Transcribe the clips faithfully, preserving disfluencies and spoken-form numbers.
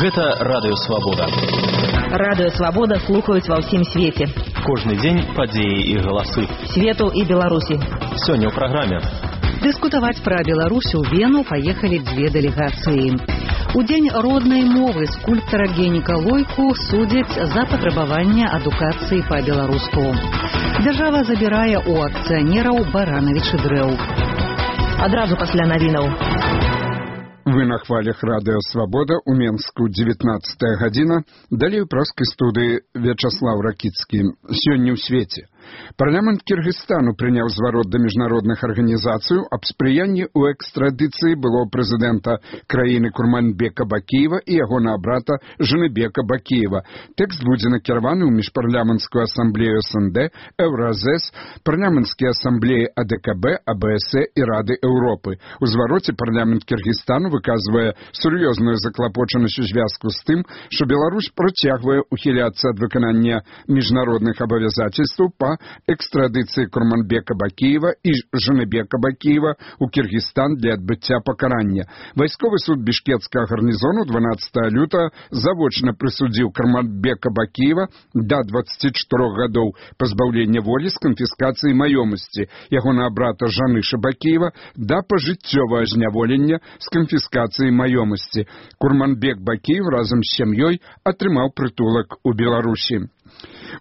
Гэта Радыё Свабода. Радыё Свабода слухаюць ва ўсім свеце. Кожны дзень падзеі і галасы. Свету і Беларусі. Сёння ў праграме. Дыскутаваць пра Беларусь у Вену паехалі дзве дэлегацыі. У дзень роднай мовы скульптара Генніка Лойку судзяць за патрабаванне адукацыі па-беларуску. Дзяржава забірае ў акцыянераў баранавічы дрэў. Адразу пасля навінаў. Вы на хвалях Радыё Свабода у Менску, дзевятнаццатая гадзіна. Далей у праскай студыі Вячаслав Ракіцкі. Сёння ў свеце. Парламент Кыргызстану прыняў зварот да міжнародных арганізацый аб спрыянні ў экстрадыцыі былого прэзідэнта краіны Курманбека Бакіева і ягонага брата Жаныбека Бакіева. Тэкст будзе накіраваны ў міжпарламенцкую асамблею эс эн дэ, Еўразэс, парламенцкія асамблеі а дэ ка бэ, а бэ эс э і Рады Еўропы. У звароце парламент Кыргызстану выказвае сур'ёзную заклапочанасць у звязку з тым, што Беларусь працягвае ухіляцца ад выканання міжнародных абавязацельстваў па экстрадыцыі Курманбека Бакіева і Жаныбека Бакіева ў Кыргызстан для адбыцця пакарання. Вайсковы суд бішкецкага гарнізону дванаццатага лютага завочна прысудзіў Курманбека Бакіева да дваццаці чатырох гадоў пазбаўлення волі з канфіскацыяй маёмасці, ягонага брата Жаныша Бакіева да пажыццёвага зняволення з канфіскацыяй маёмасці. Курманбек Бакіев разам з сям'ёй атрымаў прытулак у Беларусі.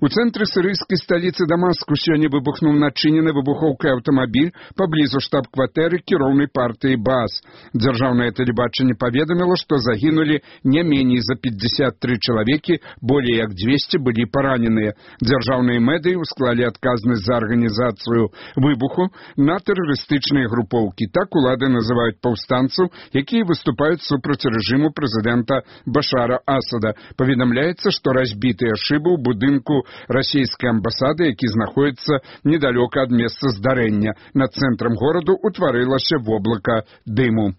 У цэнтры сірыйскай сталіцы Дамаску сёння выбухнуў начынены выбухоўкай аўтамабіль паблізу штаб-кватэры кіроўнай партыі БААС. Дзяржаўнае тэлебачанне паведаміла, што загінулі не меней за пятьдесят три чалавекі, болей як дзвесце былі параненыя. Дзяржаўныя медыі ўсклалі адказнасць за арганізацыю выбуху на тэрарыстычныя групоўкі. Так улады называюць паўстанцаў, якія выступаюць супраць рэжыму прэзідэнта Башара Асада. Паведамляецца, што разбітыя шыбы ў будынку расійскай амбасады, які знаходіцца недалёка ад месца здарэння. Над цэнтрам гораду утварылася воблака дыму.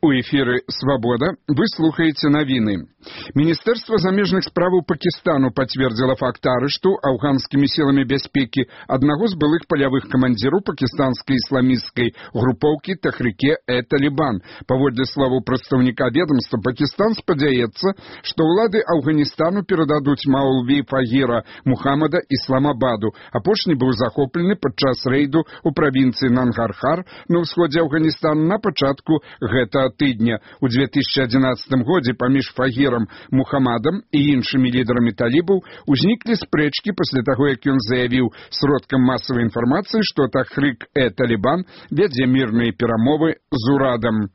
У эфіры «Свабода» вы слухаеце навіны. Міністэрства замежных справаў Пакістану пацвердзіла факт арышту афганскімі сіламі бяспекі аднаго з былых палявых камандзіраў пакістанскай ісламісцкай групоўкі Тахрике-э-Талибан. Паводле словаў прадстаўніка ведамства, Пакістан спадзяецца, што ўлады Афганістану перададуць Маулві Фагіра Мухаммада Ісламабаду. Апошні быў захоплены падчас рэйду ў правінцыі Нангархар на ўсходзе Афганістана на пачатку гэтага тыдня. У две тысячи одиннадцатым годзе паміж Фагірам Мухаммадам і іншымі лідарамі талібаў узніклі спрэчкі пасля таго, як ён заявіў сродкам масавай інфармацыі, што Тахрик-э-Талибан вядзе мірныя перамовы з урадам.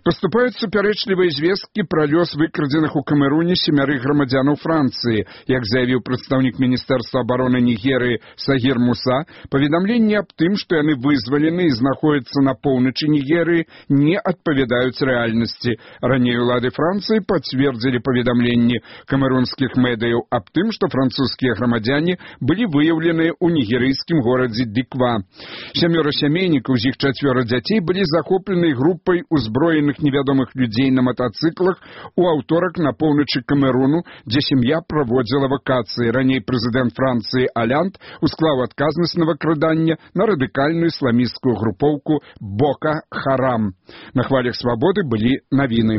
Паступаюць супярэчлівыя звесткі пра лёс выкрадзеных у Камеруне семярых грамадзянаў Францыі. Як заявіў прадстаўнік Міністэрства абароны Нігерыі Сагір Муса, паведамленні аб тым, што яны вызвалены і знаходзяцца на поўначы Нігерыі, не адпавядаюць рэальнасці. Раней улады Францыі пацвердзілі паведамленні камерунскіх медыяў аб тым, што французскія грамадзяне былі выяўленыя ў нігерыйскім горадзе Диква. Сямёра сямейнікаў, з іх чацвёра дзяцей, былі захоплены групай узброеных невядомых людзей на матацыклах у аўторак на поўначы Камеруну, дзе сям'я праводзіла вакацыі. Раней прэзідэнт Францыі Алянд усклаў адказнасць на выкрадання на радыкальную ісламісцкую групоўку Бока Харам. На хвалях Свабоды былі навіны.